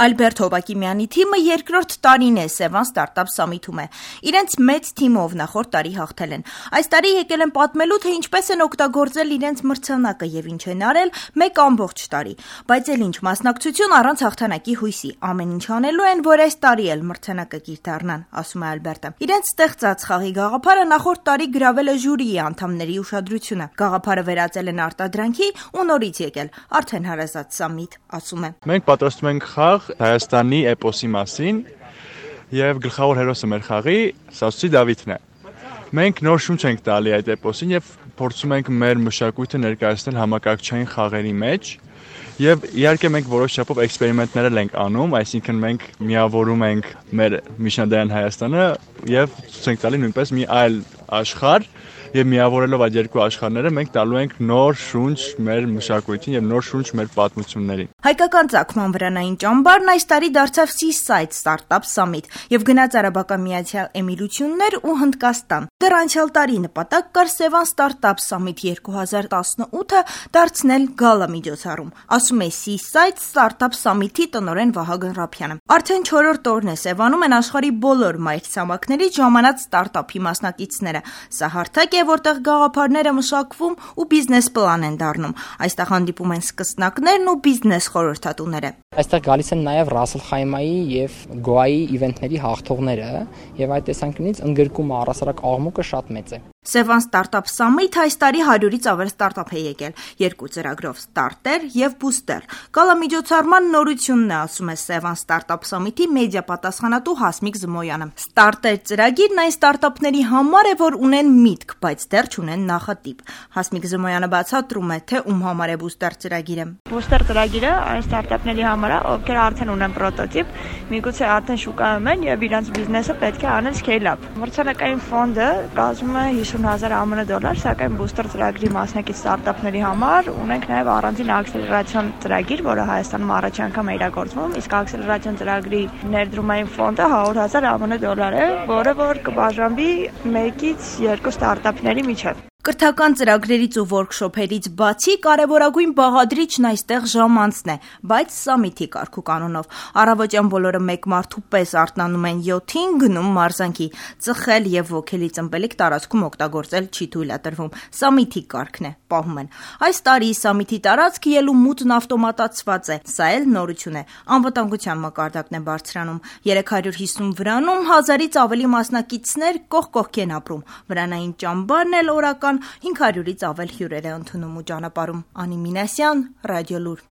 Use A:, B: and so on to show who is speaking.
A: Ալբերտ Հովակիմյանի թիմը երկրորդ տարին է Սևան Ստարտափ Սամիթում է։ Իրենց մեծ թիմով նախորդ տարի հաղթել են։ Այս տարի եկել են պատմելու, թե ինչպես են օգտագործել իրենց մրցանակը եւ ինչ են արել մեկ ամբողջ տարի։ Բայց էլ ինչ մասնակցություն առանց հաղթանակի հույսի։ Ամեն ինչ անելու են, որ այս տարի էլ մրցանակը կիրթառնան, ասում է Ալբերտը։ Իրենց ստեղծած խաղի գաղափարը նախորդ տարի գրավել է ժյուրիի անդամների ուշադրությունը։ Գաղափարը վերածել են արտադրանքի ու նորից եկել արդեն հարազատ Սամիթ, ասում է։
B: Մենք պատրաստում ենք խաղ Հայաստանի էպոսի մասին եւ գլխավոր հերոսը մեր խաղի Սասունցի Դավիթն է։ Մենք նոր շունչ ենք տալի այդ էպոսին եւ փորձում ենք մեր մշակույթը ներկայացնել համակարգչային խաղերի մեջ եւ իհարկե մենք որոշ չափով էքսպերիմենտներ ենք անում, այսինքն մենք միավորում ենք մեր միջնադարյան Հայաստանը եւ ցույց ենք տալի նույնպես մի այլ աշխարհ եւ միավորելով այդ երկու աշխարհները մենք տալու ենք նոր շունչ մեր մշակույթին եւ նոր շունչ մեր պատմություններին։
A: Հայկական ծագման վրանային ճամբարն այս տարի դարձավ Seaside Startup Summit եւ գնաց Արաբական Միացյալ Էմիրություններ ու Հնդկաստան։ Դեռ անցյալ տարի նպատակ կար Սևան Startup Summit 2018-ը դարձնել գալա միջոցառում, ասում է Seaside Startup Summit-ի տնօրեն Վահագն Ռափյանը։ Արդեն 4-րդ օրն է Սևանում են աշխարհի բոլոր մայրցամաքներից ժամանած ստարտափի մասնակիցները։ Սա հարթակ է, որտեղ գաղափարները մշակվում ու բիզնես պլան են դառնում։ Այստեղ հանդիպում են սկսնակներն ու բիզնես խորհրդատուները։
C: Այստեղ գալիս են նաև Ռասել Խայմայի եւ Գոայի իվենթների հաղթողները եւ այդ տեսանկյունից ընդգրկումը առասարակ աղմուկը շատ մեծ է։
A: Սևան Ստարտափ Սամիթ այս տարի 100-ից ավել ստարտափ է եկել, 2 ծրագրով՝ Ստարտեր եւ Բուստեր։ Գալա միջոցառման նորությունն է, ասում է Սևան Ստարտափ Սամիթի մեդիա պատասխանատու Հասմիկ Զմոյանը։ Ստարտեր ծրագիրն այն ստարտափների համար է, որ ունեն միտք, բայց դեռ չունեն նախատիպ։ Հասմիկ Զմոյանը բացատրում է, թե ում համար է Բուստեր ծրագիրը։
D: Բուստեր ծրագիրը այն ստարտափների համար է, ովքեր արդեն ունեն պրոտոտիպ, միգուցե արդեն շուկայում են եւ իրենց բիզնեսը պետք է անեն scale-up։ Մրցանակային ֆոնդը կազմում է $50,000 ԱՄՆ, սակայն Booster ծրագրի մասնակից ստարտափների համար ունենք նաև առանձին ակսելերացիոն ծրագիր, որը Հայաստանում առաջ անգամ է իրագործվում, իսկ ակսելերացիոն ծրագրի ներդրումային ֆոնդը $100,000 ԱՄՆ է, որը որ կբաժանվի 1-ից 2 ստարտափների միջև։
A: Կրթական ծրագրերից ու workshop-երից բացի կարևորագույն բաղադրիչն այստեղ ժամանցն է, բայց Սամիթի կարգու կանոնով։ Առավոտյան բոլորը մեկ մարդու պես արթնանում են 7-ին, գնում մարզանքի, ծխել եւ ոգելի ծնպելիք տարածքում օգտագործել չի թույլատրվում։ Սամիթի կարգն է, պահում են։ Այս տարի Սամիթի տարածքը ելու մուտն ավտոմատացված է, սա էլ նորություն է։ Անվտանգության մակարդակն է բարձրանում։ 350 վրանում 1000-ից ավելի մասնակիցներ կողք կողքի են ապրում։ Վրանային ճամբարն էլ օրական 500-ից ավել հյուրեր է ընդունում ու ճանապարհում։ Անի Մինասյան, Ռադիոլուր։